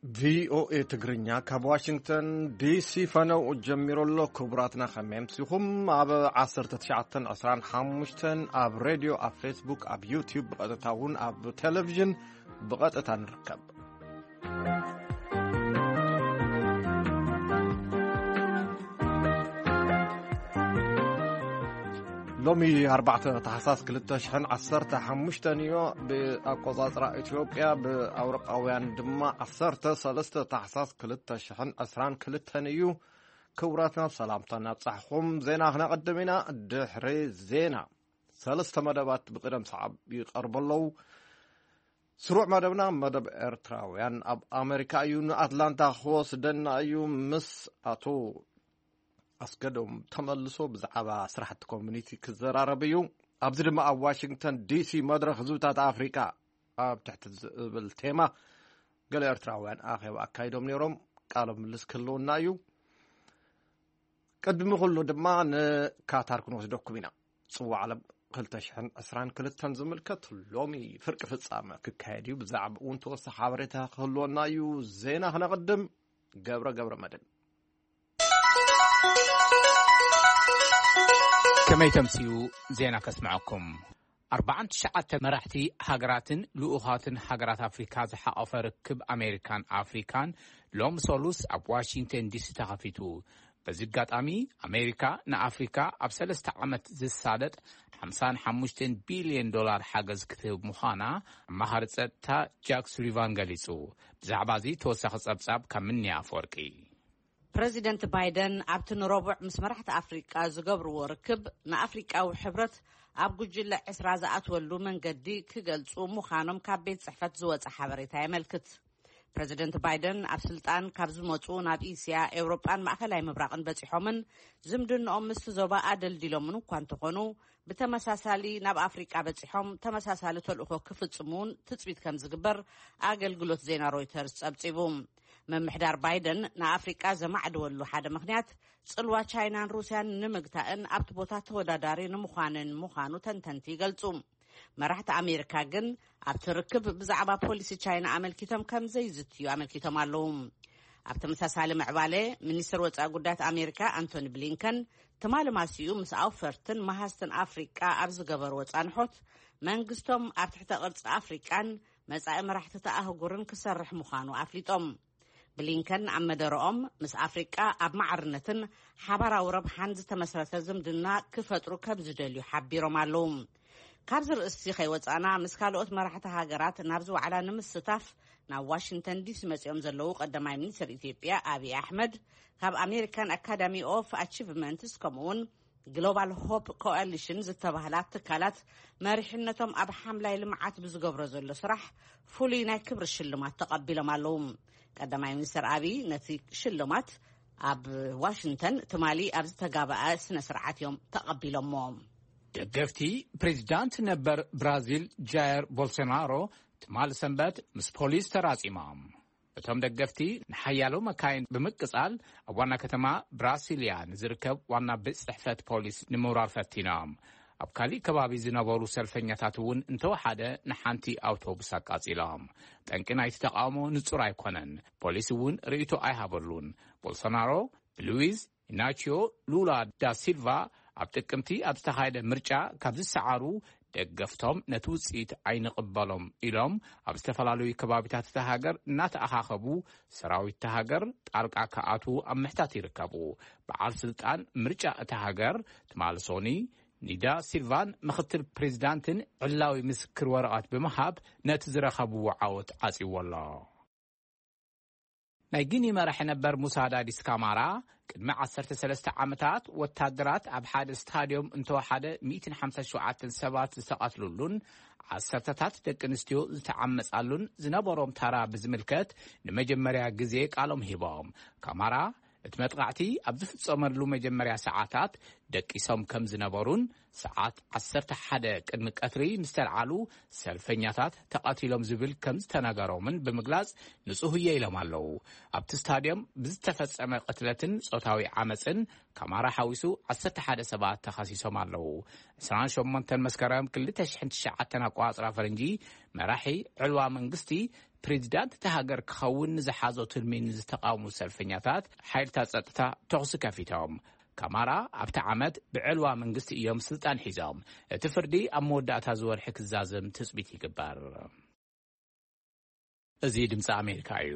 ቪኦኤ ትግርኛ ካብ ዋሽንግተን ዲሲ ፈነው ጀሚሩ ኣሎ። ክቡራትና ከመይ ኣምሲኹም? ኣብ ዓሰርተ ትሽዓተን ዕስራን ሓሙሽተን ኣብ ሬድዮ፣ ኣብ ፌስቡክ፣ ኣብ ዩቲዩብ ብቐጥታ እውን ኣብ ቴሌቪዥን ብቐጥታ ንርከብ። ሎሚ ኣርባዕተ ታሕሳስ ክልተ ሽሕን ዓሰርተ ሓሙሽተን እዩ ብኣቆጻጽራ ኢትዮጵያ፣ ብኣውሮጳውያን ድማ ዓሰርተ ሰለስተ ታሕሳስ ክልተ ሽሕን ዕስራን ክልተን እዩ። ክቡራትና ሰላምታ እናብጻሕኹም ዜና ክነቐድም ኢና። ድሕሪ ዜና ሰለስተ መደባት ብቕደም ሰዓብ ይቐርቡ ኣለዉ። ስሩዕ መደብና መደብ ኤርትራውያን ኣብ ኣሜሪካ እዩ። ንኣትላንታ ክወስደና እዩ። ምስ ኣቶ ኣስገዶም ተመልሶ ብዛዕባ ስራሕቲ ኮሚኒቲ ክዘራረብ እዩ። ኣብዚ ድማ ኣብ ዋሽንግተን ዲሲ መድረኽ ህዝብታት ኣፍሪቃ ኣብ ትሕቲ ዝብል ቴማ ገለ ኤርትራውያን ኣኼባ ኣካይዶም ነይሮም። ቃለ ምልልስ ክህልውና እዩ። ቅድሚ ኩሉ ድማ ንካታር ክንወስደኩም ኢና። ጽዋዕ ዓለም ክልተ ሽሕን ዕስራን ክልተን ዝምልከት ሎሚ ፍርቂ ፍጻመ ክካየድ እዩ። ብዛዕባ እውን ተወሳኺ ሓበሬታ ክህልወና እዩ። ዜና ክነቕድም። ገብረ ገብረ መድህን። ከመይ ተምስዩ? ዜና ከስምዐኩም። ኣርባዓን ትሽዓተ መራሕቲ ሃገራትን ልኡኻትን ሃገራት ኣፍሪካ ዝሓቐፈ ርክብ ኣሜሪካን ኣፍሪካን ሎም ሰሉስ ኣብ ዋሽንግተን ዲሲ ተኸፊቱ። በዚ ኣጋጣሚ ኣሜሪካ ንኣፍሪካ ኣብ ሰለስተ ዓመት ዝሳለጥ ሓምሳን ሓሙሽተን ቢልዮን ዶላር ሓገዝ ክትህብ ምዃና ኣማኻሪ ጸጥታ ጃክ ሱሊቫን ገሊጹ። ብዛዕባ እዚ ተወሳኺ ጸብጻብ ካብ ምንያ ኣፈወርቂ። ፕረዚደንት ባይደን ኣብቲ ንረቡዕ ምስ መራሕቲ ኣፍሪቃ ዝገብርዎ ርክብ፣ ንኣፍሪቃዊ ሕብረት ኣብ ጉጅለ ዕስራ ዝኣትወሉ መንገዲ ክገልጹ ምዃኖም ካብ ቤት ጽሕፈት ዝወጸ ሓበሬታ የመልክት። ፕረዚደንት ባይደን ኣብ ስልጣን ካብ ዝመጹ ናብ እስያ፣ ኤውሮጳን ማእከላይ ምብራቕን በጺሖምን ዝምድንኦም ምስቲ ዞባ ኣደልዲሎምን እኳ እንተኾኑ፣ ብተመሳሳሊ ናብ ኣፍሪቃ በጺሖም ተመሳሳሊ ተልእኾ ክፍጽሙ እውን ትጽቢት ከም ዝግበር ኣገልግሎት ዜና ሮይተርስ ጸብጺቡ። ምምሕዳር ባይደን ንኣፍሪቃ ዘማዕደወሉ ሓደ ምኽንያት፣ ጽልዋ ቻይናን ሩስያን ንምግታእን ኣብቲ ቦታ ተወዳዳሪ ንምዃንን ምዃኑ ተንተንቲ ይገልጹ። መራሕቲ ኣሜሪካ ግን ኣብቲ ርክብ ብዛዕባ ፖሊሲ ቻይና ኣመልኪቶም ከም ዘይዝትዩ ኣመልኪቶም ኣለዉ። ኣብ ተመሳሳሊ ምዕባለ፣ ሚኒስትር ወጻኢ ጉዳያት ኣሜሪካ ኣንቶኒ ብሊንከን ትማሊ ማሲኡ ምስ ኣውፈርትን መሃዝትን ኣፍሪቃ ኣብ ዝገበርዎ ጻንሖት፣ መንግስቶም ኣብ ትሕተ ቅርጺ ኣፍሪቃን መጻኢ መራሕቲ እታ ኣህጉርን ክሰርሕ ምዃኑ ኣፍሊጦም። ብሊንከን ኣብ መደረኦም፣ ምስ ኣፍሪቃ ኣብ ማዕርነትን ሓባራዊ ረብሓን ዝተመስረተ ዝምድና ክፈጥሩ ከም ዝደልዩ ሓቢሮም ኣለዉ። ካብዚ ርእሲ ከይወጻና፣ ምስ ካልኦት መራሕቲ ሃገራት ናብዚ ዋዕላ ንምስታፍ ናብ ዋሽንግተን ዲሲ መጺኦም ዘለዉ ቀዳማይ ሚኒስትር ኢትዮጵያ ኣብይ ኣሕመድ፣ ካብ ኣሜሪካን ኣካዳሚ ኦፍ ኣቺቭመንትስ ከምኡውን ግሎባል ሆፕ ኮኣሊሽን ዝተባህላ ትካላት መሪሕነቶም ኣብ ሓምላይ ልምዓት ብዝገብሮ ዘሎ ስራሕ ፍሉይ ናይ ክብሪ ሽልማት ተቐቢሎም ኣለዉ። ቀዳማይ ሚኒስትር ኣብይ ነቲ ሽልማት ኣብ ዋሽንግተን ትማሊ ኣብ ዝተጋበኣ ስነ ስርዓት እዮም ተቐቢሎሞ። ደገፍቲ ፕሬዚዳንት ነበር ብራዚል ጃየር ቦልሶናሮ ትማሊ ሰንበት ምስ ፖሊስ ተራጺሞም። እቶም ደገፍቲ ንሓያሎ መካይን ብምቅጻል ኣብ ዋና ከተማ ብራሲልያ ንዝርከብ ዋና ቤት ጽሕፈት ፖሊስ ንምውራር ፈቲኖም። ኣብ ካሊእ ከባቢ ዝነበሩ ሰልፈኛታት እውን እንተወሓደ ንሓንቲ ኣውቶቡስ ኣቃጺሎም። ጠንቂ ናይቲ ተቃውሞ ንጹር ኣይኮነን። ፖሊስ እውን ርእይቶ ኣይሃበሉን። ቦልሶናሮ ብሉዊዝ ኢናቺዮ ሉላ ዳ ሲልቫ ኣብ ጥቅምቲ ኣብ ዝተኻየደ ምርጫ ካብ ዝሰዓሩ ደገፍቶም ነቲ ውጽኢት ኣይንቕበሎም ኢሎም ኣብ ዝተፈላለዩ ከባቢታት እታ ሃገር እናተኣኻኸቡ ሰራዊት እታ ሃገር ጣልቃ ክኣትዉ ኣብ ምሕታት ይርከቡ። በዓል ስልጣን ምርጫ እታ ሃገር ትማሊ ሶኒ ኒዳ ሲልቫን ምኽትል ፕሬዚዳንትን ዕላዊ ምስክር ወረቐት ብምሃብ ነቲ ዝረኸብዎ ዓወት ዓጽይዎ ኣሎ። ናይ ጊኒ መራሒ ነበር ሙሳ ዳዲስ ካማራ ቅድሚ ዓሰርተ ሰለስተ ዓመታት ወታደራት ኣብ ሓደ ስታድዮም እንተወሓደ ሚእትን ሓምሳን ሸውዓተን ሰባት ዝተቐትሉሉን ዓሰርተታት ደቂ ኣንስትዮ ዝተዓመጻሉን ዝነበሮም ታራ ብዝምልከት ንመጀመርያ ግዜ ቃሎም ሂቦም። ካማራ እቲ መጥቓዕቲ ኣብ ዝፍጸመሉ መጀመርያ ሰዓታት ደቂሶም ከም ዝነበሩን ሰዓት ዓሰርተ ሓደ ቅድሚ ቀትሪ ምስ ተልዓሉ ሰልፈኛታት ተቐቲሎም ዝብል ከም ዝተነገሮምን ብምግላጽ፣ ንጹህ እየ ኢሎም ኣለዉ። ኣብቲ ስታድዮም ብዝተፈጸመ ቅትለትን ጾታዊ ዓመጽን ካማራ ሓዊሱ ዓሰርተ ሓደ ሰባት ተኸሲሶም ኣለዉ። ዕስራን ሸሞንተን መስከረም ክልተ ሽሕን ትሽዓተን ኣቆጻጽራ ፈረንጂ፣ መራሒ ዕልዋ መንግስቲ ፕሬዚዳንት እታ ሃገር ክኸውን ንዝሓዞ ትልሚ ንዝተቓወሙ ሰልፈኛታት ሓይልታት ጸጥታ ተኹሲ ከፊቶም። ካማራ ኣብቲ ዓመት ብዕልዋ መንግስቲ እዮም ስልጣን ሒዞም። እቲ ፍርዲ ኣብ መወዳእታ ዝወርሒ ክዛዘም ትጽቢት ይግበር። እዚ ድምፂ ኣሜሪካ እዩ።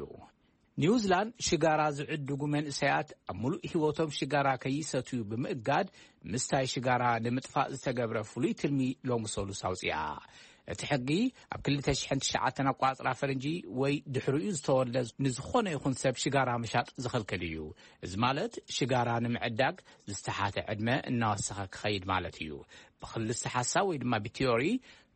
ኒውዚላንድ ሽጋራ ዝዕድጉ መንእሰያት ኣብ ሙሉእ ህይወቶም ሽጋራ ከይሰትዩ ብምእጋድ፣ ምስታይ ሽጋራ ንምጥፋእ ዝተገብረ ፍሉይ ትልሚ ሎሚ ሰሉስ ኣውፅኣ። እቲ ሕጊ ኣብ ክልተ ሽሕን ትሽዓተን ኣቋፅራ ፈረንጂ ወይ ድሕሪኡ ዝተወልደ ንዝኾነ ይኹን ሰብ ሽጋራ ምሻጥ ዝኽልክል እዩ። እዚ ማለት ሽጋራ ንምዕዳግ ዝተሓተ ዕድመ እናወሰኸ ክኸይድ ማለት እዩ። ብክልስተ ሓሳብ ወይ ድማ ብቲዮሪ፣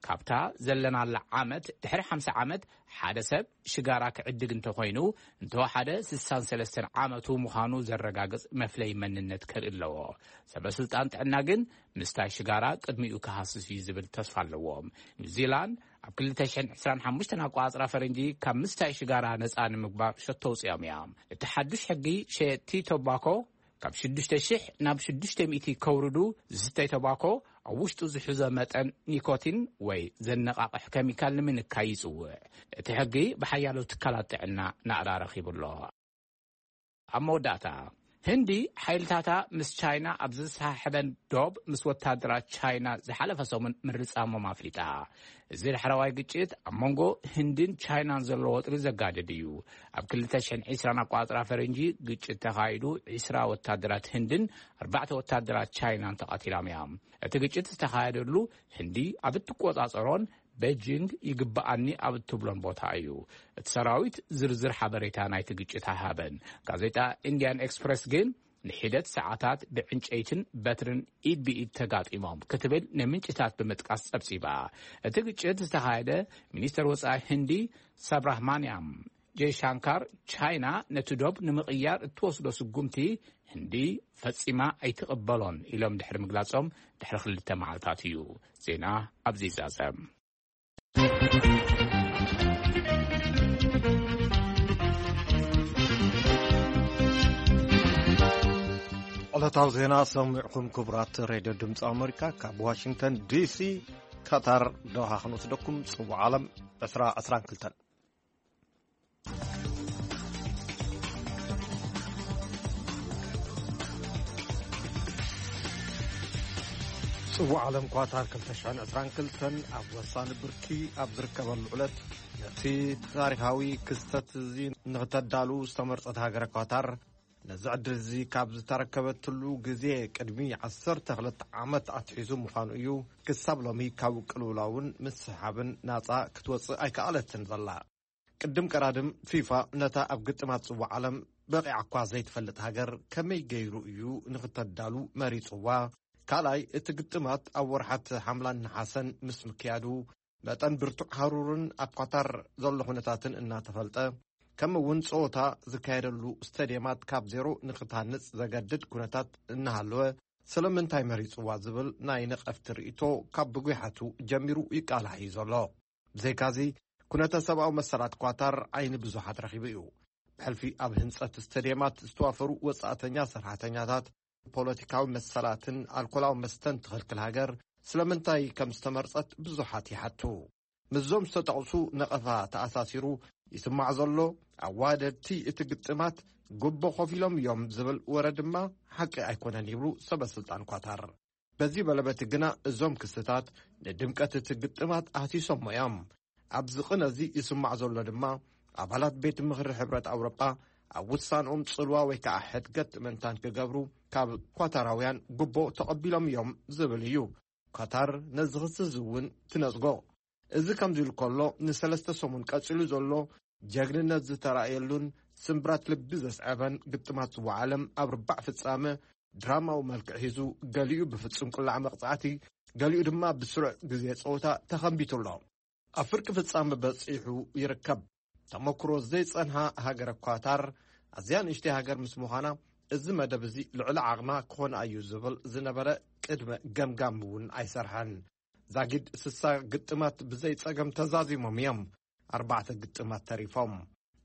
ካብታ ዘለናላ ዓመት ድሕሪ ሓምሳ ዓመት ሓደ ሰብ ሽጋራ ክዕድግ እንተኾይኑ፣ እንተወሓደ ስሳን ሰለስተን ዓመቱ ምዃኑ ዘረጋግጽ መፍለይ መንነት ከርኢ ኣለዎ። ሰበ ስልጣን ጥዕና ግን ምስታይ ሽጋራ ቅድሚኡ ክሃስስ እዩ ዝብል ተስፋ ኣለዎም። ኒውዚላንድ ኣብ ክልተ ሽሕን ዕስራን ሓሙሽተን ኣቋጽራ ፈረንጂ ካብ ምስታይ ሽጋራ ነጻ ንምግባር ሸቶ ኣውጺኦም እዮም። እቲ ሓዱሽ ሕጊ ሸየጥቲ ቶባኮ ካብ ሽዱሽተ ሽሕ ናብ ሽዱሽተ ሚእቲ ከውርዱ፣ ዝስተይ ተባኮ ኣብ ውሽጡ ዝሕዞ መጠን ኒኮቲን ወይ ዘነቓቕሕ ኬሚካል ንምንካይ ይጽውዕ። እቲ ሕጊ ብሓያሎ ትካላት ጥዕና ናእዳ ረኺቡ ኣሎ። ኣብ መወዳእታ፣ ህንዲ ሓይልታታ ምስ ቻይና ኣብ ዝተሳሕበን ዶብ ምስ ወታደራት ቻይና ዝሓለፈ ሰሙን ምርጻሞም ኣፍሊጣ። እዚ ዳሕረዋይ ግጭት ኣብ መንጎ ህንድን ቻይናን ዘሎ ወጥሪ ዘጋድድ እዩ። ኣብ ክልተ ሽሕን ዕስራን ኣቋጽራ ፈረንጂ ግጭት ተኻይዱ፣ ዕስራ ወታደራት ህንድን ኣርባዕተ ወታደራት ቻይናን ተቐቲሎም እዮም። እቲ ግጭት ዝተኻየደሉ ህንዲ ኣብ እትቆጻጸሮን ቤጂንግ ይግብኣኒ ኣብ እትብሎን ቦታ እዩ። እቲ ሰራዊት ዝርዝር ሓበሬታ ናይቲ ግጭት ኣይሃበን። ጋዜጣ ኢንዲያን ኤክስፕረስ ግን ንሒደት ሰዓታት ብዕንጨይትን በትርን ኢድ ብኢድ ተጋጢሞም ክትብል ንምንጭታት ብምጥቃስ ጸብጺባ። እቲ ግጭት ዝተኻየደ፣ ሚኒስተር ወጻኢ ህንዲ ሳብራህማንያም ጀይሻንካር፣ ቻይና ነቲ ዶብ ንምቕያር እትወስዶ ስጉምቲ ህንዲ ፈጺማ ኣይትቕበሎን ኢሎም ድሕሪ ምግላጾም፣ ድሕሪ ክልተ መዓልታት እዩ። ዜና ኣብዚ ይዛዘም። ዕለታዊ ዜና ሰሚዕኩም ክቡራት ሬድዮ ድምፂ ኣሜሪካ ካብ ዋሽንግተን ዲሲ። ካታር ዶሃ ክንወስደኩም፣ ፅቡቅ ዓለም ዕስራ ዕስራን ክልተን። ጽዋዕ ዓለም ኳታር ክልተ ሽሕን ዕስራን ክልተን ኣብ ወሳኒ ብርኪ ኣብ ዝርከበሉ ዕለት፣ ነቲ ታሪኻዊ ክስተት እዚ ንኽተዳሉ ዝተመርጸት ሃገረ ኳታር፣ ነዚ ዕድል እዚ ካብ ዝተረከበትሉ ግዜ ቅድሚ ዓሰርተ ክልተ ዓመት ኣትሒዙ ምዃኑ እዩ። ክሳብ ሎሚ ካብ ቅልውላውን ምስሓብን ናጻ ክትወጽእ ኣይከኣለትን ዘላ። ቅድም ቀዳድም፣ ፊፋ ነታ ኣብ ግጥማት ጽዋዕ ዓለም በቒዓ እኳ ዘይትፈልጥ ሃገር ከመይ ገይሩ እዩ ንኽተዳሉ መሪጽዋ? ካልኣይ፣ እቲ ግጥማት ኣብ ወርሓት ሓምላን ነሓሰን ምስ ምክያዱ፣ መጠን ብርቱዕ ሃሩርን ኣብ ኳታር ዘሎ ኩነታትን እናተፈልጠ፣ ከምኡ እውን ጸወታ ዝካየደሉ ስቴድየማት ካብ ዜሮ ንኽትሃንጽ ዘገድድ ኩነታት እናሃለወ፣ ስለምንታይ መሪጽዋ ዝብል ናይ ነቐፍቲ ርእይቶ ካብ ብጒሓቱ ጀሚሩ ይቃላሕ እዩ ዘሎ። ብዘይካዚ፣ ኩነተ ሰብኣዊ መሰላት ኳታር ዓይኒ ብዙሓት ረኺቡ እዩ። ብሕልፊ ኣብ ህንጸት ስቴድየማት ዝተዋፈሩ ወጻእተኛ ሰራሕተኛታት፣ ፖለቲካዊ መሰላትን ኣልኮላዊ መስተን ትኽልክል ሃገር ስለምንታይ ከም ዝተመርጸት ብዙሓት ይሓቱ። ምስዞም ዝተጠቕሱ ነቐፋ ተኣሳሲሩ ይስማዕ ዘሎ፣ ኣዋደድቲ እቲ ግጥማት ጉቦ ከፊሎም እዮም ዝብል ወረ ድማ ሓቂ ኣይኮነን ይብሉ ሰበ ስልጣን ኳታር። በዚ በለበቲ ግና እዞም ክስታት ንድምቀት እቲ ግጥማት ኣህሲሶሞ እዮም። ኣብዚ ቅነ እዚ ይስማዕ ዘሎ ድማ፣ ኣባላት ቤት ምኽሪ ሕብረት ኣውሮጳ ኣብ ውሳንኦም ጽልዋ ወይ ከዓ ሕድገት ምእንታን ክገብሩ ካብ ኳታራውያን ጉቦ ተቐቢሎም እዮም ዝብል እዩ። ኳታር ነዚ ክሲ እዚ እውን ትነጽጎ። እዚ ከምዚ ኢሉ ከሎ፣ ንሰለስተ ሰሙን ቀጺሉ ዘሎ ጀግንነት ዝተራእየሉን ስምብራት ልቢ ዘስዐበን ግጥማት ጽዋዕ ዓለም ኣብ ርባዕ ፍጻመ ድራማዊ መልክዕ ሒዙ፣ ገሊኡ ብፍጹም ቅላዕ መቕጻዕቲ፣ ገሊኡ ድማ ብስሩዕ ግዜ ጸወታ ተኸንቢቱ ኣሎ። ኣብ ፍርቂ ፍጻመ በጺሑ ይርከብ። ተመክሮ ዘይጸንሃ ሃገረ ኳታር፣ ኣዝያ ንእሽተይ ሃገር ምስ ምዃና፣ እዚ መደብ እዚ ልዕሊ ዓቕማ ክኾን እዩ ዝብል ዝነበረ ቅድመ ገምጋም እውን ኣይሰርሐን። ዛጊድ ስሳ ግጥማት ብዘይ ጸገም ተዛዚሞም እዮም። ኣርባዕተ ግጥማት ተሪፎም።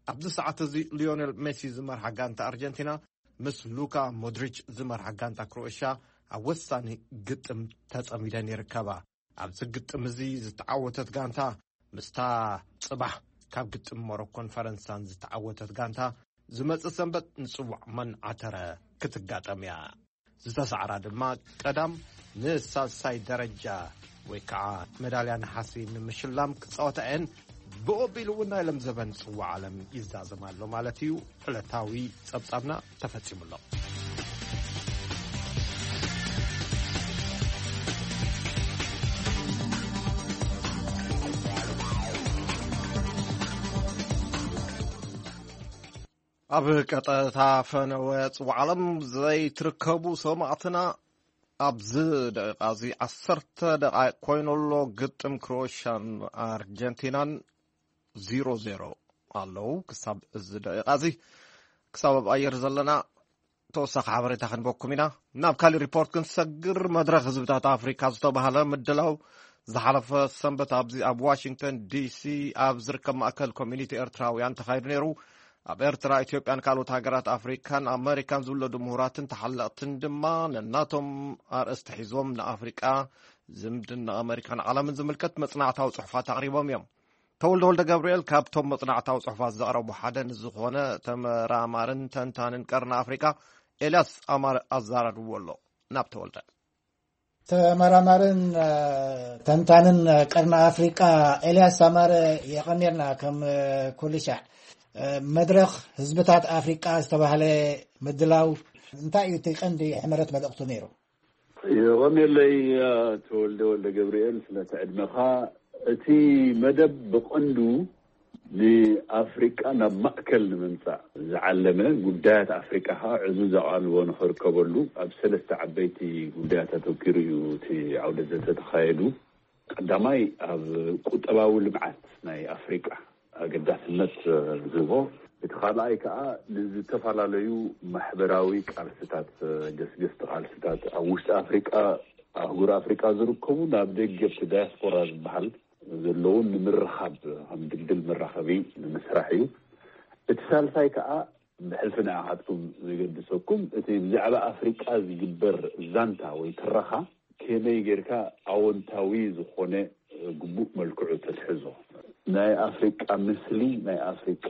ኣብዚ ሰዓት እዚ ሊዮኔል ሜሲ ዝመርሓ ጋንታ ኣርጀንቲና ምስ ሉካ ሞድሪች ዝመርሓ ጋንታ ክሮኤሽያ ኣብ ወሳኒ ግጥም ተጸሚደን ይርከባ። ኣብዚ ግጥም እዚ ዝተዓወተት ጋንታ ምስታ ጽባሕ ካብ ግጥም ሞሮኮን ፈረንሳን ዝተዓወተት ጋንታ ዝመጽእ ሰንበት ንጽዋዕ መን ዓተረ ክትጋጠም እያ። ዝተሳዕራ ድማ ቀዳም ንሳልሳይ ደረጃ ወይ ከዓ መዳልያ ነሓሲ ንምሽላም ክጻወታ እየን። ብኡ ኣቢሉ እውን ናይ ሎም ዘበን ጽዋዕ ዓለም ይዛዘም ኣሎ ማለት እዩ። ዕለታዊ ጸብጻብና ተፈጺሙ ኣሎ። ኣብ ቀጠታ ፈነወ ጽዋዕ ዓለም ዘይትርከቡ ሰማዕትና፣ ኣብዚ ደቂቓ እዚ ዓሰርተ ደቓይቕ ኮይኑ ኣሎ። ግጥም ክሮኤሽያን ኣርጀንቲናን ዜሮ ዜሮ ኣለዉ። ክሳብ እዚ ደቂቓ እዚ፣ ክሳብ ኣብ ኣየር ዘለና፣ ተወሳኺ ሓበሬታ ክንበኩም ኢና። ናብ ካሊእ ሪፖርት ክንሰግር፣ መድረኽ ህዝብታት ኣፍሪካ ዝተባህለ ምድላው ዝሓለፈ ሰንበት ኣብዚ ኣብ ዋሽንግተን ዲሲ ኣብ ዝርከብ ማእከል ኮሚኒቲ ኤርትራውያን ተኻይዱ ነይሩ። ኣብ ኤርትራ፣ ኢትዮጵያን ካልኦት ሃገራት ኣፍሪካን ኣመሪካን ዝውለዱ ምሁራትን ተሓለቕትን ድማ ነናቶም ኣርእስቲ ሒዞም ንኣፍሪቃ፣ ዝምድና ኣመሪካን ዓለምን ዝምልከት መጽናዕታዊ ጽሑፋት ኣቕሪቦም እዮም። ተወልደ ወልደ ገብርኤል ካብቶም መጽናዕታዊ ጽሑፋት ዘቕረቡ ሓደ ንዝኾነ ተመራማርን ተንታንን ቀርኒ ኣፍሪቃ ኤልያስ ኣማረ ኣዛራርብዎ ኣሎ። ናብ ተወልደ። ተመራማርን፣ እ፣ ተንታንን ቀርኒ ኣፍሪቃ ኤልያስ ኣማረ፣ የቐንየልና። ከም፣ እ፣ ኩሉ ሻዕ፣ እ፣ መድረኽ ህዝብታት ኣፍሪቃ ዝተባህለ ምድላው እንታይ እዩ እቲ ቀንዲ ሕመረት መልእኽቱ ነይሩ? የቐንየለይ፣ እ፣ ተወልደ ወልደ ገብርኤል፣ ስለቲ ዕድመኻ። እቲ መደብ ብቐንዱ ንኣፍሪቃ ናብ ማእከል ንምምጻእ ዝዓለመ፣ ጉዳያት ኣፍሪቃ ከኣ ዕዙዝ ኣቓልቦ ንኽርከበሉ ኣብ ሰለስተ ዓበይቲ ጉዳያት ኣተኲሩ እዩ እቲ ዓውደ ዘተ ተኻየዱ። ቀዳማይ ኣብ ቁጠባዊ ልምዓት ናይ ኣፍሪቃ ኣገዳስነት ዝህቦ፣ እቲ ካልኣይ ከኣ ንዝተፈላለዩ ማሕበራዊ ቃልስታት፣ ገስገስቲ ቃልስታት ኣብ ውሽጢ ኣፍሪቃ፣ ኣህጉር ኣፍሪቃ ዝርከቡ ናብ ደገ ኣብቲ ዳያስፖራ ዝበሃል ዘለውን ንምርኻብ ከም ድልድል መራኸቢ ንምስራሕ እዩ። እቲ ሳልሳይ ከኣ ብሕልፊ ንኣኻትኩም ዝገድሰኩም፣ እቲ ብዛዕባ ኣፍሪቃ ዝግበር ዛንታ ወይ ትረኻ ከመይ ጌርካ ኣወንታዊ ዝኾነ ግቡእ መልክዑ ተትሕዞ፣ ናይ ኣፍሪቃ ምስሊ፣ ናይ ኣፍሪቃ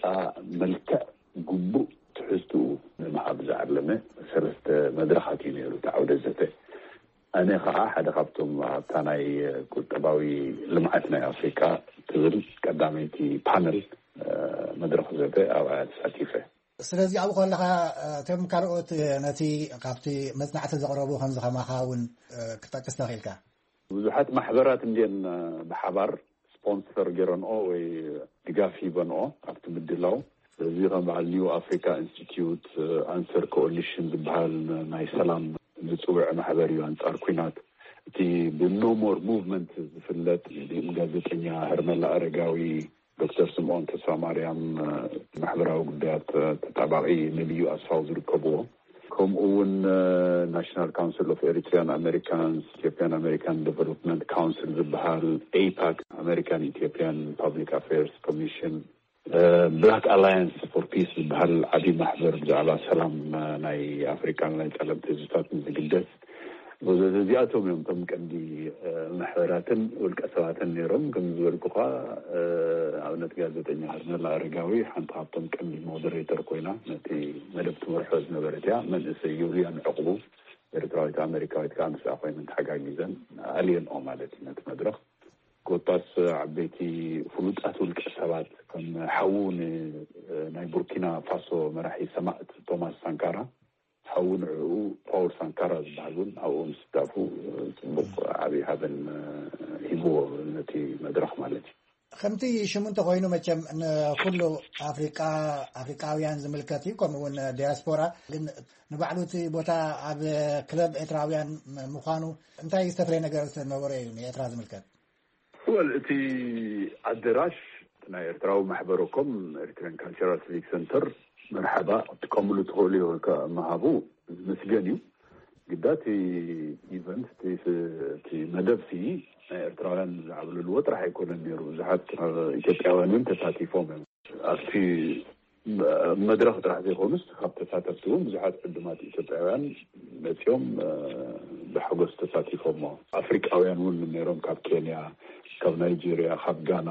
መልክዕ ግቡእ ትሕዝትኡ ንምሃብ ዝዓለመ ሰለስተ መድረኻት እዩ ነይሩ እቲ ዓውደ ዘተ። ኣነ ኸዓ ሓደ ካብቶም ኣብታ ናይ ቁጠባዊ ልምዓት ናይ ኣፍሪቃ ትብል ቀዳመይቲ ፓነል፣ እ፣ መድረኽ ዘተ ኣብኣ ተሳቲፈ። ስለዚ ኣብኡ ከለኻ፣ እ፣ እቶም ካልኦት፣ እ፣ ነቲ ካብቲ መጽናዕቲ ዘቕረቡ ከምዚ ከማኻ እውን፣ እ፣ ክትጠቅስ ተኽኢልካ? ብዙሓት ማሕበራት እንድየን፣ እ፣ ብሓባር ስፖንሰር ገይረንኦ ወይ ድጋፍ ሂበንኦ ኣብቲ ምድላው። ስለዚ ከም በዓል ኒው ኣፍሪካ ኢንስቲትዩት፣ እ፣ ኣንሰር ኮኦሊሽን ዝበሃል ናይ ሰላም ዝጽውዕ ማሕበር እዩ ኣንጻር ኲናት። እቲ ብኖ ሞር ሙቭመንት ዝፍለጥ ጋዜጠኛ ሄርሜላ ኣረጋዊ፣ ዶክተር ስምኦን ተስፋማርያም፣ እ፣ ማሕበራዊ ጉዳያት፣ እ፣ ተጣባቒ ነብዩ ኣስፋው ዝርከብዎ፣ ከምኡ እውን፣ እ፣ ናሽናል ካውንስል ኦፍ ኤሪትሪያን ኣሜሪካንስ፣ ኢትዮጵያን ኣሜሪካን ዴቨሎፕመንት ካውንስል ዝበሃል፣ ኤይፓክ፣ ኣሜሪካን ኢትዮጵያን ፐብሊክ ኣፌርስ ኮሚሽን፣ እ፣ ብላክ ኣላያንስ ፎር ፒስ ዝበሃል ዓብዪ ማሕበር ብዛዕባ ሰላም፣ እ፣ ናይ ኣፍሪቃን ናይ ጸለምቲ ህዝብታትን ዝግደስ፣ እዚኣቶም እዮም እቶም ቀንዲ፣ እ፣ ማሕበራትን ውልቀ ሰባትን ነይሮም። ከም ዝበልኩኻ፣ እ፣ ኣብነት ጋዜጠኛ ሄርሜላ ኣረጋዊ ሓንቲ ካብቶም ቀንዲ ሞደሬተር ኮይና ነቲ መደብ ትመርሖ ዝነበረት እያ። መንእሰይ ዩልያን ዕቕቡ፣ ኤርትራዊት ኣሜሪካዊት፣ ከዓ ምስኣ ኮይነን ተሓጋጊዘን ኣልየንኦ ማለት እዩ ነቲ መድረኽ። ኮታስ ዓበይቲ ፍሉጣት ውልቀ ሰባት ከም ሓዉ ን-፣ ናይ ቡርኪና ፋሶ መራሒ ሰማእት ቶማስ ሳንካራ፣ ሓዉ ንዕኡ ፓውል ሳንካራ ዝበሃል እውን ኣብኡ ምስታፉ ጽቡቕ ዓብዪ ሃበን ሂብዎ ነቲ መድረኽ ማለት እዩ። ከምቲ ሽሙ እንተኾይኑ፣ መቸም ንኩሉ ኣፍሪቃ፣ ኣፍሪቃውያን ዝምልከት እዩ፣ ከምኡ እውን ዲያስፖራ። ግን ንባዕሉ እቲ ቦታ ኣብ ክለብ ኤርትራውያን ምዃኑ እንታይ ዝተፍለየ ነገር ነበረ እዩ ንኤርትራ ዝምልከት? ወል፣ እቲ ኣደራሽ ናይ ኤርትራዊ ማሕበረኮም፣ ኤርትራን ካልቸራል ሲቪክ ሰንተር፣ መርሓባ፣ እቲ ከምሉ ትኽእሉ እዩ ከ ምሃቡ ዝምስገን እዩ። ግዳ እቲ ኢቨንት እቲ ስ- እቲ መደብ ሲ ናይ ኤርትራውያን ዝዓብልልዎ ጥራሕ ኣይኮነን ነይሩ። ብዙሓት ኢትዮጵያውያን እውን ተሳቲፎም እዮም ኣብቲ መድረኽ ጥራሕ ዘይኮኑስ ካብ ተሳተፍቲ እውን ብዙሓት ዕዱማት ኢትዮጵያውያን መፂኦም ብሓጎስ ተሳቲፎሞ። ኣፍሪቃውያን እውን ነይሮም፣ ካብ ኬንያ፣ ካብ ናይጄሪያ፣ ካብ ጋና፣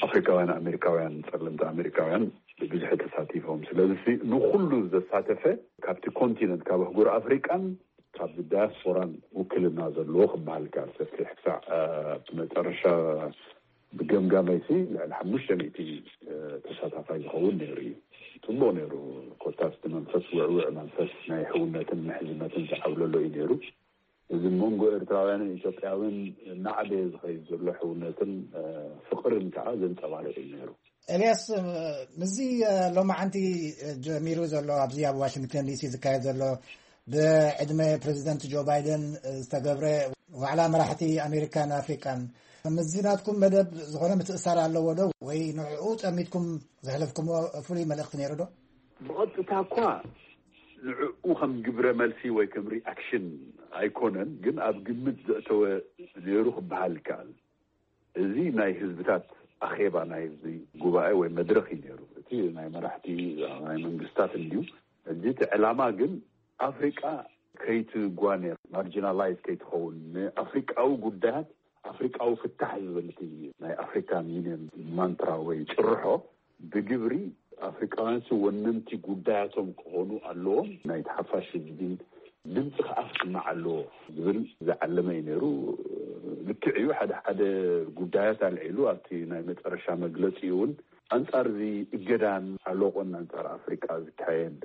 ኣፍሪካውያን ኣሜሪካውያን፣ ፀለምቲ ኣሜሪካውያን ብብዝሒ ተሳቲፎም። ስለዚ ንኩሉ ዘሳተፈ፣ ካብቲ ኮንቲነንት ካብ ኣህጉር ኣፍሪቃን ካብ ዳያስፖራን ውክልና ዘለዎ ክበሃል ይከኣል። ሰፊሕ ክሳዕ መጨረሻ ብገምጋመይሲ ልዕሊ ሓሙሽተ ሚእቲ ተሳታፋይ ዝኸውን ነይሩ እዩ። ፅቡቅ ነይሩ። ኮታስ እቲ መንፈስ ውዕውዕ መንፈስ ናይ ሕውነትን ምሕዝነትን ዝዓብለሎ እዩ ነይሩ። እዚ መንጎ ኤርትራውያንን ኢትዮጵያውን እናዓበየ ዝኸይድ ዘሎ ሕውነትን ፍቅርን ከዓ ዘንፀባርቅ እዩ ነይሩ። ኤልያስ፣ ምስዚ ሎማዓንቲ ጀሚሩ ዘሎ ኣብዚ ኣብ ዋሽንግተን ዲሲ ዝካየድ ዘሎ ብዕድመ ፕሬዚደንት ጆ ባይደን ዝተገብረ ዋዕላ መራሕቲ ኣሜሪካን ኣፍሪቃን፣ ምስዚ ናትኩም መደብ ዝኾነ ምትእሳር ኣለዎ ዶ? ወይ ንዕኡ ጠሚትኩም ዘሕለፍኩምዎ ፍሉይ መልእኽቲ ነይሩ ዶ? ብቐጥታ እኳ ንዕኡ ከም ግብረ መልሲ ወይ ከም ሪኣክሽን ኣይኮነን፣ ግን ኣብ ግምት ዘእተወ ነይሩ ክበሃል ይከኣል። እዚ ናይ ህዝብታት ኣኼባ፣ ናይ ህዝቢ ጉባኤ ወይ መድረኽ እዩ ነይሩ። እቲ ናይ መራሕቲ ናይ መንግስታት እንድዩ። እዚ እቲ ዕላማ ግን ኣፍሪቃ ከይትጓነ፣ ማርጂናላይዝ ከይትኸውን፣ ንኣፍሪቃዊ ጉዳያት ኣፍሪቃዊ ፍታሕ ዝብል እቲ ናይ ኣፍሪካን ዩኒየን ማንትራ ወይ ጭርሖ ብግብሪ ኣፍሪቃውያን ሲ ወነንቲ ጉዳያቶም ክኾኑ ኣለዎም፣ ናይቲ ሓፋሽ ህዝቢ ድምፂ ከዓ ክስማዕ ኣለዎ ዝብል ዝዓለመ እዩ ነይሩ። ልክዕ እዩ፣ ሓደ ሓደ ጉዳያት ኣልዒሉ ኣብቲ ናይ መጨረሻ መግለፂ እውን ኣንፃር እዚ እገዳን ሓሎቆን ኣንፃር ኣፍሪቃ ዝካየድ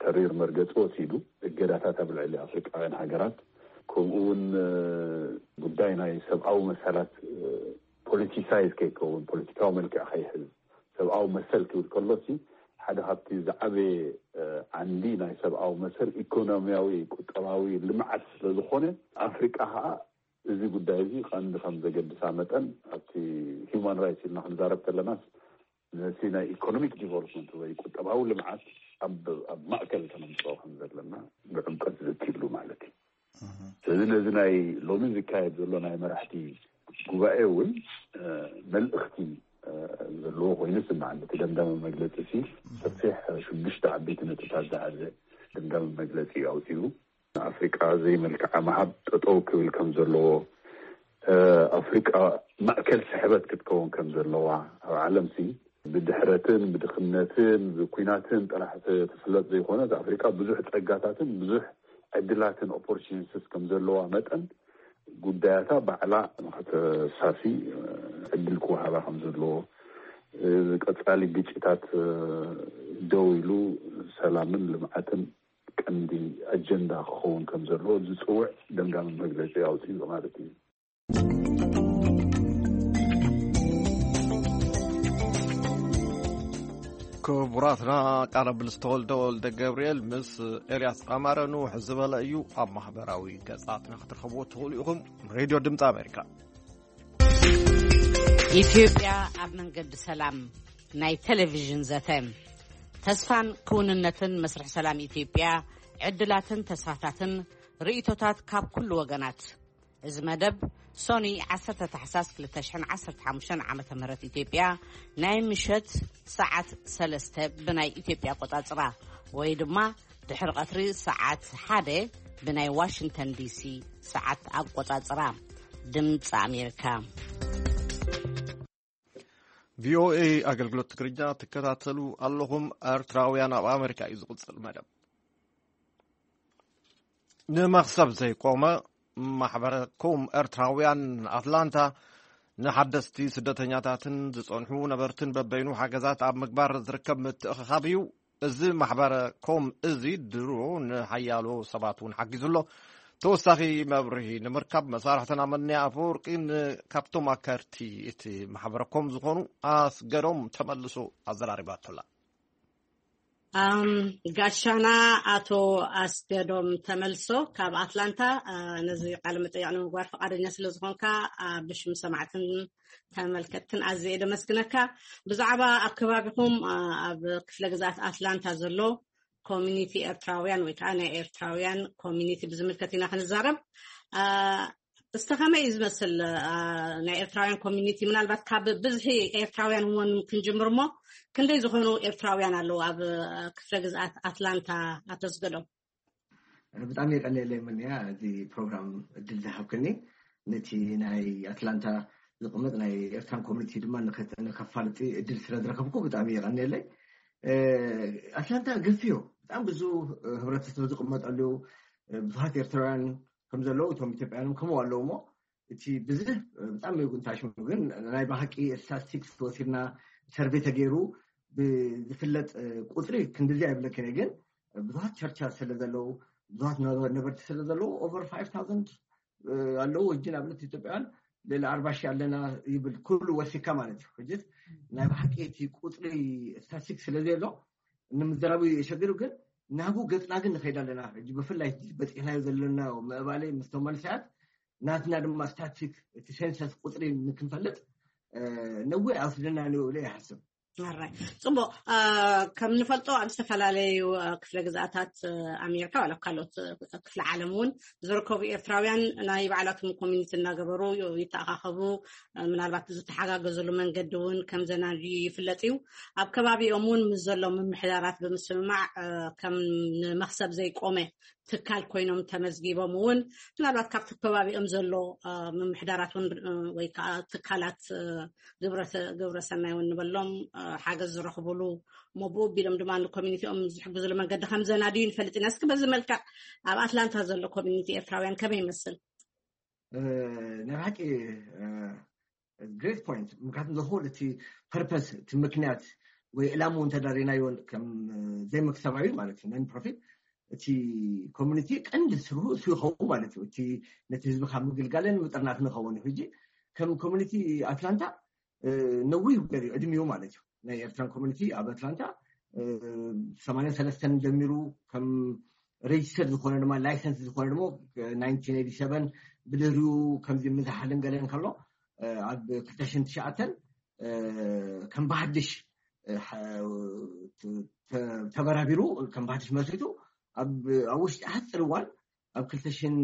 ተሪር መርገፂ ወሲዱ፣ እገዳታት ኣብ ልዕሊ ኣፍሪቃውያን ሃገራት፣ ከምኡ እውን ጉዳይ ናይ ሰብኣዊ መሰላት ፖለቲሳይዝ ከይከውን፣ ፖለቲካዊ መልክዕ ከይሕዝ፣ ሰብኣዊ መሰል ክብል ከሎ ሲ ሓደ ካብቲ ዝዓበየ ዓንዲ ናይ ሰብኣዊ መሰል ኢኮኖሚያዊ ቁጠባዊ ልምዓት ስለዝኾነ ኣፍሪቃ ከዓ እዚ ጉዳይ እዚ ቀንዲ ከም ዘገድሳ መጠን ኣብቲ ሂውማን ራይትስ ኢልና ክንዛረብ ከለናስ ነቲ ናይ ኢኮኖሚክ ዲቨሎፕመንት ወይ ቁጠባዊ ልምዓት ኣብ ኣብ ማእከል ከነምፅኦ ከም ዘለና ብዕምቀት ዝእክብሉ ማለት እዩ። ስለዚ ነዚ ናይ ሎሚ ዝካየድ ዘሎ ናይ መራሕቲ ጉባኤ እውን መልእኽቲ ዘለዎ ኮይኑ ይስምዓኒ። እቲ ደምዳሚ መግለፂ ሲ ሰፊሕ ሽዱሽተ ዓበይቲ ነጥብታት ዝሓዘ ደምዳሚ መግለፂ እዩ ኣውፂኡ። ንኣፍሪቃ ዘይመልክዓ ምሃብ ጠጠው ክብል ከም ዘለዎ፣ ኣፍሪቃ ማእከል ስሕበት ክትከውን ከም ዘለዋ፣ ኣብ ዓለም ሲ ብድሕረትን ብድኽነትን ብኩናትን ጥራሕ ትፍለጥ ዘይኮነት ኣፍሪቃ ብዙሕ ጸጋታትን ብዙሕ ዕድላትን ኦፖርቹኒቲስ ከም ዘለዋ መጠን ጉዳያታ ባዕላ ንኸተሳሲ ዕድል ክወሃባ ከም ዘለዎ፣ ቀጻሊ ግጭታት ደው ኢሉ ሰላምን ልምዓትን ቀንዲ ኣጀንዳ ክኸውን ከም ዘለዎ ዝጽውዕ ደምዳሚ መግለጺ ኣውጺኡ ማለት እዩ። ክቡራትና፣ ቃለ ምልልስ ተወልደ ወልደ ገብርኤል ምስ ኤልያስ ኣማረ ንውሕ ዝበለ እዩ። ኣብ ማሕበራዊ ገጻትና ክትረኸብዎ ትኽእሉ ኢኹም። ሬድዮ ድምፂ ኣሜሪካ። ኢትዮጵያ ኣብ መንገዲ ሰላም ናይ ቴሌቪዥን ዘተ። ተስፋን ክውንነትን መስርሕ ሰላም ኢትዮጵያ፣ ዕድላትን ተስፋታትን፣ ርእይቶታት ካብ ኩሉ ወገናት። እዚ መደብ ሶኒ ዓሰርተ ታሕሳስ ክልተ ሽሕን ዓሰርተ ሓሙሽተን ዓመተ ምህረት ኢትዮጵያ ናይ ምሸት ሰዓት ሰለስተ ብናይ ኢትዮጵያ ኣቆጻጽራ ወይ ድማ ድሕሪ ቀትሪ ሰዓት ሓደ ብናይ ዋሽንግተን ዲሲ ሰዓት ኣቆጻጽራ። ድምፂ ኣሜሪካ። ቪኦኤ ኣገልግሎት ትግርኛ ትከታተሉ ኣለኹም። ኤርትራውያን ኣብ ኣሜሪካ እዩ ዝቕጽል መደብ። ንመኽሰብ ዘይቆመ ማሕበረ ኮም ኤርትራውያን ኣትላንታ ንሓደስቲ ስደተኛታትን ዝጸንሑ ነበርትን በበይኑ ሓገዛት ኣብ ምግባር ዝርከብ ምትእኽኻብ እዩ። እዚ ማሕበረ ኮም እዚ ድሮ ንሓያሎ ሰባት እውን ሓጊዙ ኣሎ። ተወሳኺ መብርሂ ንምርካብ መሳርሕትና መንያ ኣፈወርቂ ካብቶም ኣካየድቲ እቲ ማሕበረ ኮም ዝኾኑ ኣስገዶም ተመልሶ ኣዘራሪባቶላ። ኣም፣ ጋሻና ኣቶ ኣስገዶም ተመልሶ ካብ ኣትላንታ፣ አ፣ ነዚ ቃለ መጠይቕ ንምግባር ፈቓደኛ ስለ ዝኾንካ፣ አ፣ ብሽም ሰማዕትን ተመልከትትን ኣዝየ እየ ደመስግነካ። ብዛዕባ ኣብ ከባቢኹም፣ አ፣ ኣብ ክፍለ ግዝኣት ኣትላንታ ዘሎ ኮሚኒቲ ኤርትራውያን ወይ ከዓ ናይ ኤርትራውያን ኮሚኒቲ ብዝምልከት ኢና ክንዛረብ። አ፣ እስተ ከመይ እዩ ዝመስል፣ አ፣ ናይ ኤርትራውያን ኮሚኒቲ? ምናልባት ካብ ብዝሒ ኤርትራውያን እውን ክንጅምር እሞ፣ ክንደይ ዝኾኑ ኤርትራውያን ኣለዉ ኣብ፣ አ፣ ክፍለ ግዝኣት ኣትላንታ? ኣቶ ኣስገዶም። ብጣዕሚ የቀንየለይ ምንያ፣ እዚ ፕሮግራም እድል ዝሃብክኒ፣ ነቲ ናይ ኣትላንታ ዝቕመጥ ናይ ኤርትራን ኮሚኒቲ ድማ ንኸተ-፣ ንከፋልጥ እድል ስለ ዝረከብኩ ብጣዕሚ የቀንየለይ። እ፣ ኣትላንታ ገፊዮ፣ ብጣዕሚ ብዙ፣ እ፣ ህብረተሰብ ዝቕመጠሉ፣ እ፣ ብዙሃት ኤርትራውያን ከም ዘለዉ፣ እቶም ኢትዮጵያውያን ከምኡ ኣለዉ እሞ፣ እቲ ብዝሕ፣ እ፣ ብጣዕሚ ጉንታሽ ግን ናይ ብሓቂ ስታቲስቲክስ ወሲድና ሰርቬይ ተገይሩ ብዝፍለጥ፣ እ፣ ቁፅሪ ክንድዚ ኣይብለክን እየ፣ ግን ብዙሃት ቸርቻ ስለ ዘለዉ፣ ብዙሃት ነበ-፣ ነበርቲ ስለ ዘለዉ፣ ኦቨር ፋይቭ ታውዘንድ፣ እ፣ ኣለዉ። ሕጂ ንኣብነት ኢትዮጵያውያን ልዕሊ ኣርባ ሺሕ ኣለና ይብል ኩሉ ወሲካ ማለት እዩ። ሕጂ ናይ ብሓቂ እቲ ቁፅሪ ስታቲስቲክስ ስለ ዘየሎ ንምዝራቡ የሸግር፣ ግን ናብኡ ገፅና ግን ንኸይድ ኣለና። ሕጂ ብፍላይ በፂሕናዮ ዘለና ምዕባለ ምስቶም መንእሰያት ናትና ድማ ስታቲስቲክ እቲ ሴንሰስ ቁፅሪ ንክንፈልጥ፣ እ፣ ነዊሕ ኣይወስደና እዩ ኢለ ይሓስብ። ኣራይ፣ ጽቡቕ። እ፣ ከም ንፈልጦ ኣብ ዝተፈላለዩ፣ እ፣ ክፍለ ግዝኣታት፣ እ፣ ኣሜሪካ ዋላ ኣብ ካልኦት፣ እ፣ ክፍለ ዓለም እውን ዝርከቡ ኤርትራውያን ናይ ባዕላቶም ኮሚኒቲ እናገበሩ ይተኣኻኸቡ፣ እ፣ ምናልባት ዝተሓጋገዙሉ መንገዲ እውን ከም ዘናድዩ ይፍለጥ እዩ። ኣብ ከባቢኦም እውን ምስ ዘሎ ምምሕዳራት ብምስምማዕ፣ እ፣ ከም ንመኽሰብ ዘይቆመ ትካል ኮይኖም ተመዝጊቦም እውን ምናልባት ካብቲ ከባቢኦም ዘሎ፣ እ፣ ምምሕዳራት እውን፣ እ፣ ወይ ከዓ ትካላት፣ እ፣ ግብረ-፣ ግብረ ሰናይ እውን ንበሎም፣ እ፣ ሓገዝ ዝረኽቡሉ እሞ ብኡ ቢሎም ድማ ንኮሚኒቲኦም ዝሕግዙሉ መንገዲ ከም ዘናድዩ ንፈልጥ ኢና። እስኪ በዚ መልክዕ ኣብ ኣትላንታ ዘሎ ኮሚኒቲ ኤርትራውያን ከመይ ይመስል? እ፣ ናይ ብሓቂ፣ እ፣ ግሬት ፖይንት። ምክንያቱም ዘኾል እቲ ፐርፐስ፣ እቲ ምክንያት ወይ ዕላምኡ እንተዳሪናዮ ከም ዘይመክሰባዊ ማለት እዩ፣ ነን ፕሮፊት፣ እቲ ኮሚኒቲ ቀንዲ ስርሑ እሱ ይኸውን ማለት እዩ። እቲ ነቲ ህዝቢ ካብ ምግልጋልን ምጥርናፍን ይኸውን እዩ። ሕጂ ከም ኮሚኒቲ ኣትላንታ፣ እ፣ ነዊህ ገር እዩ ዕድሜኡ ማለት እዩ። ናይ ኤርትራን ኮሚኒቲ ኣብ ኣትላንታ፣ እ፣ ሰማንያን ሰለስተን ጀሚሩ ከም ሬጅስተር ዝኾነ ድማ ላይሰንስ ዝኾነ ድማ ናይንቲን ኤይቲ ሰቨን ብድህሪኡ ከምዚ ምዝሓልን ገለን ከሎ፣ እ፣ ኣብ ክልተ ሽሕን ትሽዓተን፣ እ፣ ከም ብሓድሽ፣ እ፣ ሓ-፣ ተ-፣ ተ-፣ ተበራቢሩ ከም ብሓድሽ መስሪቱ ኣብ፣ ኣብ ውሽጢ ሓፂር እዋን ኣብ ክልተ ሽሕን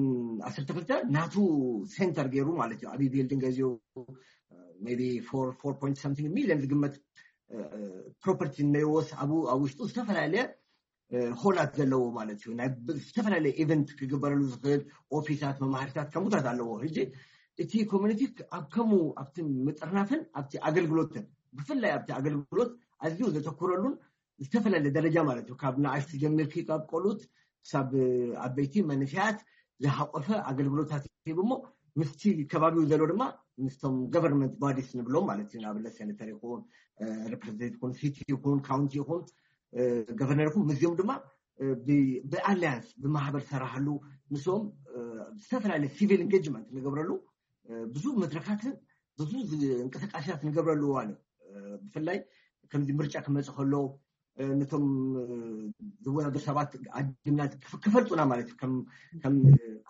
ዓሰርተ ክልተ ናቱ ሴንተር ገይሩ ማለት እዩ። ዓብዪ ቢልዲንግ ገዚኡ፣ ሜይ ቢ ፎር፣ ፎር ፖይንት ሰምቲንግ ሚሊዮን ዝግመት፣ እ፣ ፕሮፐርቲ እነይወስ ኣብኡ ኣብ ውሽጡ ዝተፈላለየ፣ እ፣ ሆላት ዘለዎ ማለት እዩ። ናይ ብ-፣ ዝተፈላለየ ኢቨንት ክግበረሉ ዝኽእል ኦፊሳት፣ መማህርታት ከምኡታት ኣለዎ። ሕጂ እቲ ኮሚኒቲ ኣብ ከምኡ ኣብቲ ምጥርናፍን ኣብቲ ኣገልግሎትን ብፍላይ ኣብቲ ኣገልግሎት ኣዝዩ ዘተኩረሉን ዝተፈላለየ ደረጃ ማለት እዩ። ካብ ንኣሽቱ ጀሚርኪ ካብ ቆልኡት ክሳብ ዓበይቲ መንእሰያት ዝሓቆፈ ኣገልግሎታት ሂቡ እሞ ምስቲ ከባቢው ዘሎ ድማ ምስቶም ገቨርንመንት ባዲስ ንብሎም ማለት እዩ። ንኣብነት ሴኔተር ይኹን፣ እ፣ ሬፕሬዘንቴቲቭ ይኹን፣ ሲቲ ይኹን፣ ካውንቲ ይኹን፣ እ፣ ገቨርነር ይኹን ምስዚኦም ድማ፣ እ፣ ብ-፣ ብኣሊያንስ ብማሕበር ሰራሕሉ ምስኦም፣ እ፣ ዝተፈላለየ ሲቪል ኢንጌጅመንት ንገብረሉ፣ እ፣ ብዙ መድረካትን ብዙ ዝ-፣ እንቅስቃሴታት ንገብረሉ እዋን እዩ። እ፣ ብፍላይ ከምዚ ምርጫ ክመጽእ ከሎ፣ እ፣ ነቶም፣ እ፣ ዝወዳደሩ ሰባት ዓዲምና ክፍ-፣ ክፈልጡና ማለት እዩ። ከም፣ ከም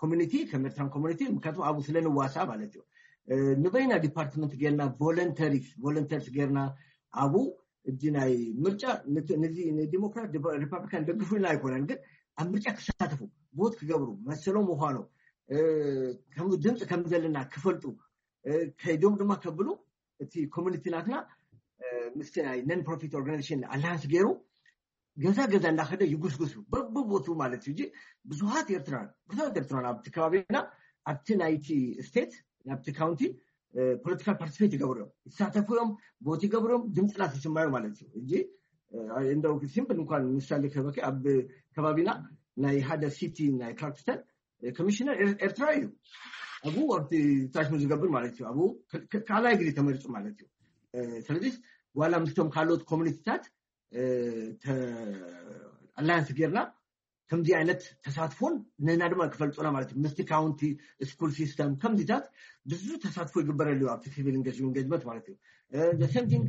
ኮሚኒቲ፣ ከም ኤርትራን ኮሚኒቲ፣ ምክንያቱም ኣብኡ ስለ ንዋሳ ማለት እዩ። እ፣ ንበይና ዲፓርትመንት ጌርና ቮለንተሪስ፣ ቮለንተርስ ጌርና ኣብኡ እዚ ናይ ምርጫ ነት-፣ ነዚ ንዲሞክራት ዲፓ-፣ ሪፓብሊካን ደግፉ ኢልና ኣይኮነን፣ ግን ኣብ ምርጫ ክሳተፉ፣ ቮት ክገብሩ፣ መሰሎም ምዃኑ፣ እ፣ ከም ድምፂ ከም ዘለና ክፈልጡ፣ እ፣ ከይዶም ድማ ከብሉ እቲ ኮሚኒቲ ናትና፣ እ፣ ምስቲ ናይ ነን ፕሮፊት ኦርጋናይዜሽን ኣላያንስ ገይሩ ገዛ ገዛ እንዳኸደ ይጉስጉሱ በብቦቱ ማለት እዩ። እንጂ ብዙሃት ኤርትራን፣ ብዙሃት ኤርትራን ኣብቲ ከባቢና፣ ኣብቲ ናይቲ ስቴት፣ ኣብቲ ካውንቲ፣ እ፣ ፖለቲካል ፓርቲስፔት ይገብሩ እዮም፣ ይሳተፉ እዮም፣ ቮት ይገብሩ እዮም፣ ድምፅና ትስማዩ ማለት እዩ። እንጂ፣ እ፣ እንደው ሲምፕል እንኳን ምሳሌ ከበኪ ኣብ ከባቢና ናይ ሓደ ሲቲ ናይ ክላርክስተን፣ እ፣ ኮሚሽነር ኤር-፣ ኤርትራ እዩ። ኣብኡ ኣብቲ ታሽሙ ዝገብር ማለት እዩ። ኣብኡ ክ-፣ ክ-፣ ካልኣይ ግዜ ተመሪጹ ማለት እዩ። እ፣ ስለዚህ ዋላ ምስቶም ካልኦት ኮሚኒቲታት፣ እ፣ ተ-፣ ኣላያንስ ጌርና ከምዚ ዓይነት ተሳትፎን ንና ድማ ክፈልጡና ማለት እዩ። ምስቲ ካውንቲ ስኩል ሲስተም ከምዚታት ብዙ ተሳትፎ ይግበረሉ እዩ ኣብቲ ሲቪል ኢንጌጅመንት ማለት እዩ። ሰምቲንግ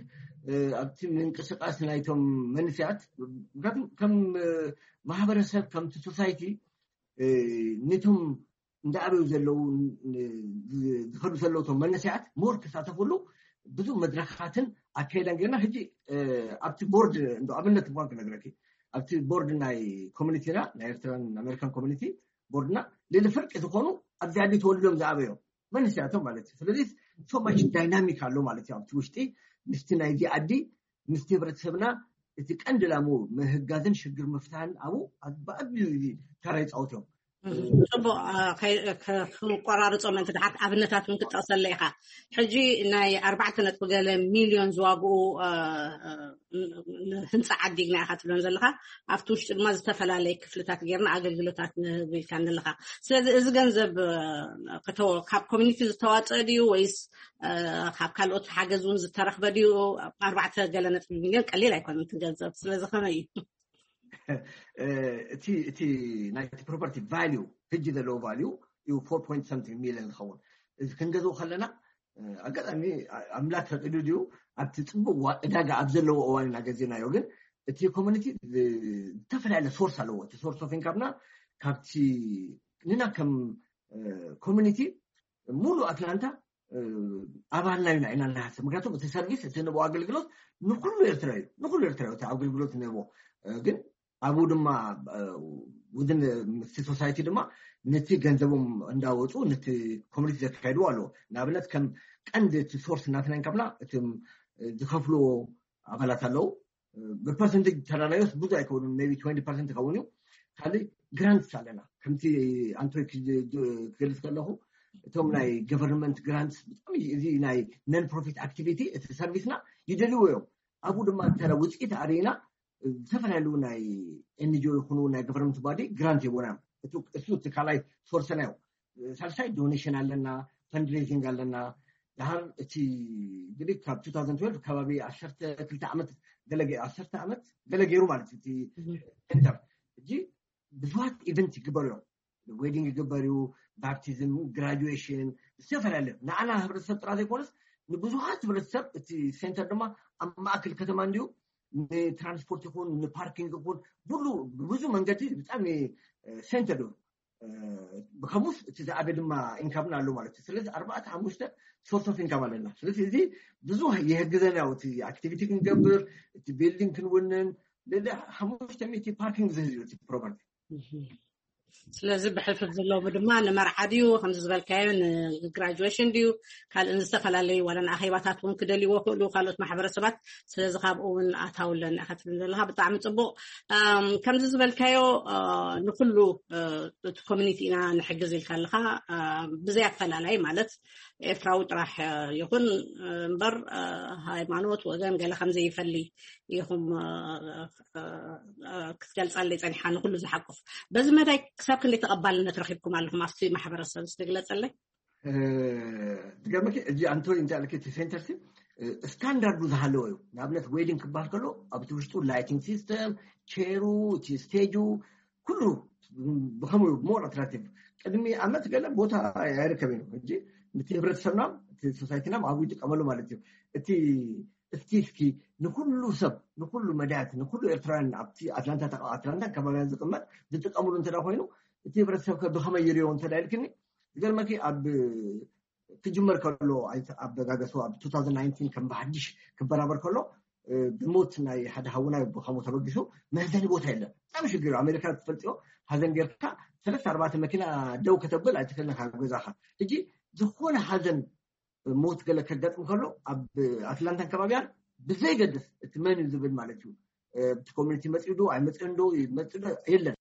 ኣብቲ ምንቅስቃስ ናይቶም መንስያት ምክንያቱም ከም ማህበረሰብ ከምቲ ሶሳይቲ ነቶም እንዳኣበዩ ዘለዉ ዝኸዱ ዘለዉ ቶም መንስያት ሞር ክሳተፍሉ ብዙ መድረኻትን ኣካይዳን ጌርና ሕጂ ኣብቲ ቦርድ እንዶ ኣብነት እንኳን ክነግረኪ ኣብቲ ቦርድ ናይ ኮሚኒቲና ናይ ኤርትራን ኣሜሪካን ኮሚኒቲ ቦርድና ልዕሊ ፍርቂ ዝኾኑ ኣብዚ ዓዲ ተወልዶም ዝኣበዮም መንስያቶም ማለት እዩ። ስለዚ so much dynamic ኣሎ ማለት እዩ ኣብቲ ውሽጢ ምስቲ ናይዚ ዓዲ ምስቲ ህብረተሰብና እቲ ቀንዲ ላሙ ምህጋዝን ሽግር ምፍታን ኣብኡ ብኣቢዩ እዚ ተራ ይፃወት እዮም። ፅቡቅ ክንቆራርፆ ምእንቲ ድሓት ኣብነታት እውን ክትጠቅሰለ ኢካ። ሕጂ ናይ ኣርባዕተ ነጥቢ ገለ ሚልዮን ዝዋግኡ ህንፃ ዓዲግና ኢካ ትብለን ዘለካ ኣብቲ ውሽጢ ድማ ዝተፈላለየ ክፍልታት ጌርና ኣገልግሎታት ንህብ ኢልካ ዘለካ። ስለዚ እዚ ገንዘብ ካብ ኮሚኒቲ ዝተዋፀእ ድዩ ወይስ ካብ ካልኦት ሓገዝ እውን ዝተረክበ ድዩ? ኣርባዕተ ገለ ነጥቢ ሚልዮን ቀሊል ኣይኮነን እቲ ገንዘብ። ስለዚ ከመይ እዩ? እቲ እቲ ናይቲ ፕሮፐርቲ ቫሊዩ ሕጂ ዘለዎ ቫሊዩ እዩ ፎር ፖይንት ሰምቲንግ ሚልዮን ዝኸውን እዚ ክንገዝኦ ከለና ኣጋጣሚ ኣምላክ ፈቂዱ ድዩ ኣብቲ ፅቡቅ ዕዳጋ ኣብ ዘለዎ እዋን ኢና ገዚእናዮ። ግን እቲ ኮሚኒቲ ዝተፈላለየ ሶርስ ኣለዎ። እቲ ሶርስ ኦፍ ኢንካምና ካብቲ ንና ከም ኮሚኒቲ ሙሉ ኣትላንታ ኣባልና ኢና ኢና ንሓስብ። ምክንያቱም እቲ ሰርቪስ እቲ ንቦ ኣገልግሎት ንኩሉ ኤርትራ እዩ ንኩሉ ኤርትራ እቲ ኣገልግሎት ንቦ ግን ኣብኡ ድማ ውድን ምስቲ ሶሳይቲ ድማ ነቲ ገንዘቦም እንዳወፁ ነቲ ኮሚኒቲ ዘካይድዎ ኣለዎ። ንኣብነት ከም ቀንዲ እቲ ሶርስ እናተናን ካብና እቲ ዝከፍልዎ ኣባላት ኣለዉ። ብፐርሰንቴጅ ተራናዮስ ብዙ ኣይከውኑን ቢ ፐርሰንት ይኸውን እዩ። ካልእ ግራንትስ ኣለና ከምቲ ኣንቶይ ክገልፅ ከለኹ እቶም ናይ ገቨርንመንት ግራንትስ ብጣዕሚ እዚ ናይ ነን ፕሮፊት ኣክቲቪቲ እቲ ሰርቪስና ይደልዎ እዮም። ኣብኡ ድማ እንተ ውፅኢት ኣርኢና ዝተፈላለዩ ናይ ኤንጂኦ ይኹኑ ናይ ገቨርንመንት ባዲ ግራንት ይቦና እዮም። እሱ እቲ ካልኣይ ሶርሰና እዩ። ሳልሳይ ዶኔሽን ኣለና፣ ፈንድሬዚንግ ኣለና። ድሃር እቲ እንግዲህ ካብ ቱ ታውዘንድ ትዌልቭ ከባቢ ዓሰርተ ክልተ ዓመት ገለ ገ- ዓሰርተ ዓመት ገለ ገይሩ ማለት እዩ እቲ ሴንተር። እጂ ብዙሃት ኢቨንት ይግበሩ እዮም። ዌዲንግ ይግበር እዩ፣ ባፕቲዝም፣ ግራጁዌሽን፣ ዝተፈላለዩ ንዓና ህብረተሰብ ጥራ ዘይኮነስ ንብዙሃት ህብረተሰብ እቲ ሴንተር ድማ ኣብ ማእከል ከተማ እንዲሁ ንትራንስፖርት ይኹን ንፓርኪንግ ይኹን ብሉ ብብዙ መንገዲ ብጣዕሚ ሴንተር እዩ። ብከሙስ እቲ ዝኣበ ድማ ኢንካምና ኣሎ ማለት እዩ። ስለዚ ኣርባዕተ ሓሙሽተ ሶርስ ኦፍ ኢንካም ኣለና። ስለዚ እዚ ብዙ የህግዘና እዩ። እቲ ኣክቲቪቲ ክንገብር እቲ ቢልዲንግ ክንውንን ልዕሊ ሓሙሽተ ሚእቲ ፓርኪንግ ዝህዝ እዩ እቲ ፕሮፐርቲ። ስለዚ ብሕልፍፍ ዘለዎም ድማ ንመርዓ ድዩ ከምዚ ዝበልካዮ ንግራጁዌሽን ድዩ ካልእ ዝተፈላለዩ ዋላ ንኣኼባታት እውን ክደልይዎ ክእሉ ካልኦት ማሕበረሰባት። ስለዚ ካብኡ እውን ኣታውለን ኢኻ ትብል ዘለካ ብጣዕሚ ፅቡቅ። ከምዚ ዝበልካዮ ንኩሉ እቲ ኮሚኒቲ ኢና ንሕግዝ ኢልካ ኣለካ ብዘይ ኣፈላላይ ማለት ኤርትራዊ ጥራሕ ይኹን እምበር ሃይማኖት ወገን ገለ ከምዘይፈሊ ኢኹም ክትገልፀለይ ፀኒሓ ንኩሉ ዝሓቁፍ። በዚ መዳይ ክሳብ ክንደይ ተቐባልነት ረኪብኩም ኣለኹም ኣብቲ ማሕበረሰብ ዝትግለፀለይ? ትገርመኪ እዚ ኣንቶኒ እንታይ ኣለኪ እቲ ሴንተር ሲ ስታንዳርዱ ዝሃለወ እዩ። ንኣብነት ዌዲንግ ክበሃል ከሎ ኣብቲ ውሽጡ ላይቲንግ ሲስተም ቼሩ እቲ ስቴጁ ኩሉ ብከምኡ ሞር ኣትራክቲቭ ቅድሚ ዓመት ገለ ቦታ ኣይርከብ እዩ። ሕጂ እቲ ህብረተሰብና እቲ ሶሳይቲና ኣብኡ ይጥቀመሉ ማለት እዩ። እቲ እስኪ እስኪ ንኩሉ ሰብ ንኩሉ መዳያት ንኩሉ ኤርትራውያን ኣብቲ ኣትላንታ ኣትላንታ ከባቢያን ዝቅመጥ ዝጥቀምሉ እንተ ኮይኑ እቲ ህብረተሰብ ከ ብከመይ ይሪኦ እንተ ኢልክኒ ዝገርመኪ ኣብ ክጅመር ከሎ ኣበጋገሱ ኣብ ቱ ታውዘንድ ናይንቲን ከም ብሓድሽ ክበራበር ከሎ ብሞት ናይ ሓደ ሃውና ብከምኡ ተበጊሱ መህዘኒ ቦታ የለን። ብጣዕሚ ሽግር እዩ። ኣሜሪካ ትፈልጥዮ ሃዘን ጌርካ ሰለስተ ኣርባዕተ መኪና ደው ከተብል ኣይትክእልን ካብ ገዛካ። ሕጂ ዝኾነ ሃዘን ሞት ገለ ከጋጥም ከሎ ኣብ ኣትላንታን ከባቢያን ብዘይገድስ እቲ መን እዩ ዝብል ማለት እዩ እቲ ኮሚኒቲ መፅኡ ዶ ኣይመፅእን ዶ ይመፅእ ዶ የለን።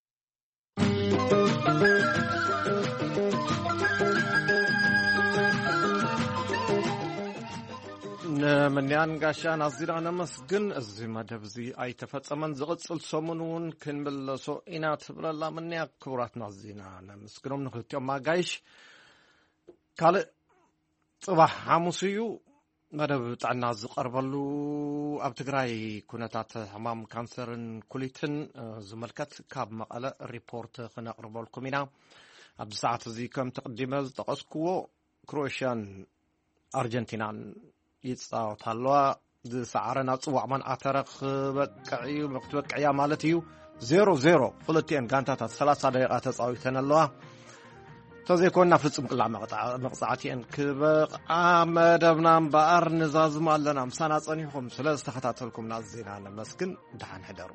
ንምንያን ጋሻን ኣዚና ነመስግን። እዚ መደብ እዚ ኣይተፈጸመን። ዝቕጽል ሰሙን እውን ክንምለሶ ኢና ትብለላ ምንያ። ክቡራትና ኣዚና ነመስግኖም ንክልቲኦም ኣጋይሽ። ካልእ ጽባሕ ሓሙስ እዩ። መደብ ጥዕና ዝቐርበሉ ኣብ ትግራይ ኩነታት ሕማም ካንሰርን ኩሊትን ዝመልከት ካብ መቐለ ሪፖርት ክነቕርበልኩም ኢና። ኣብዚ ሰዓት እዚ ከም ተቕዲመ ዝጠቐስክዎ ክሮኤሽያን ኣርጀንቲናን ይፃወታ ኣለዋ። ዝሰዓረ ናብ ፅዋዕ ማን ኣተረ ክበቅዕ እዩ፣ ክትበቅዕ እያ ማለት እዩ። ዜሮ ዜሮ ክልቲኤን ጋንታታት ሰላሳ ደቂቃ ተፃዊተን ኣለዋ። ተዘይኮንና ፍጹም ቅላዕ መቕጻዕቲ እየን ክበቕዓ መደብና እምበኣር ንዛዝም ኣለና። ምሳና ጸኒሕኩም ስለ ዝተኸታተልኩምና ዜና ነመስግን። ደሓን ሕደሩ።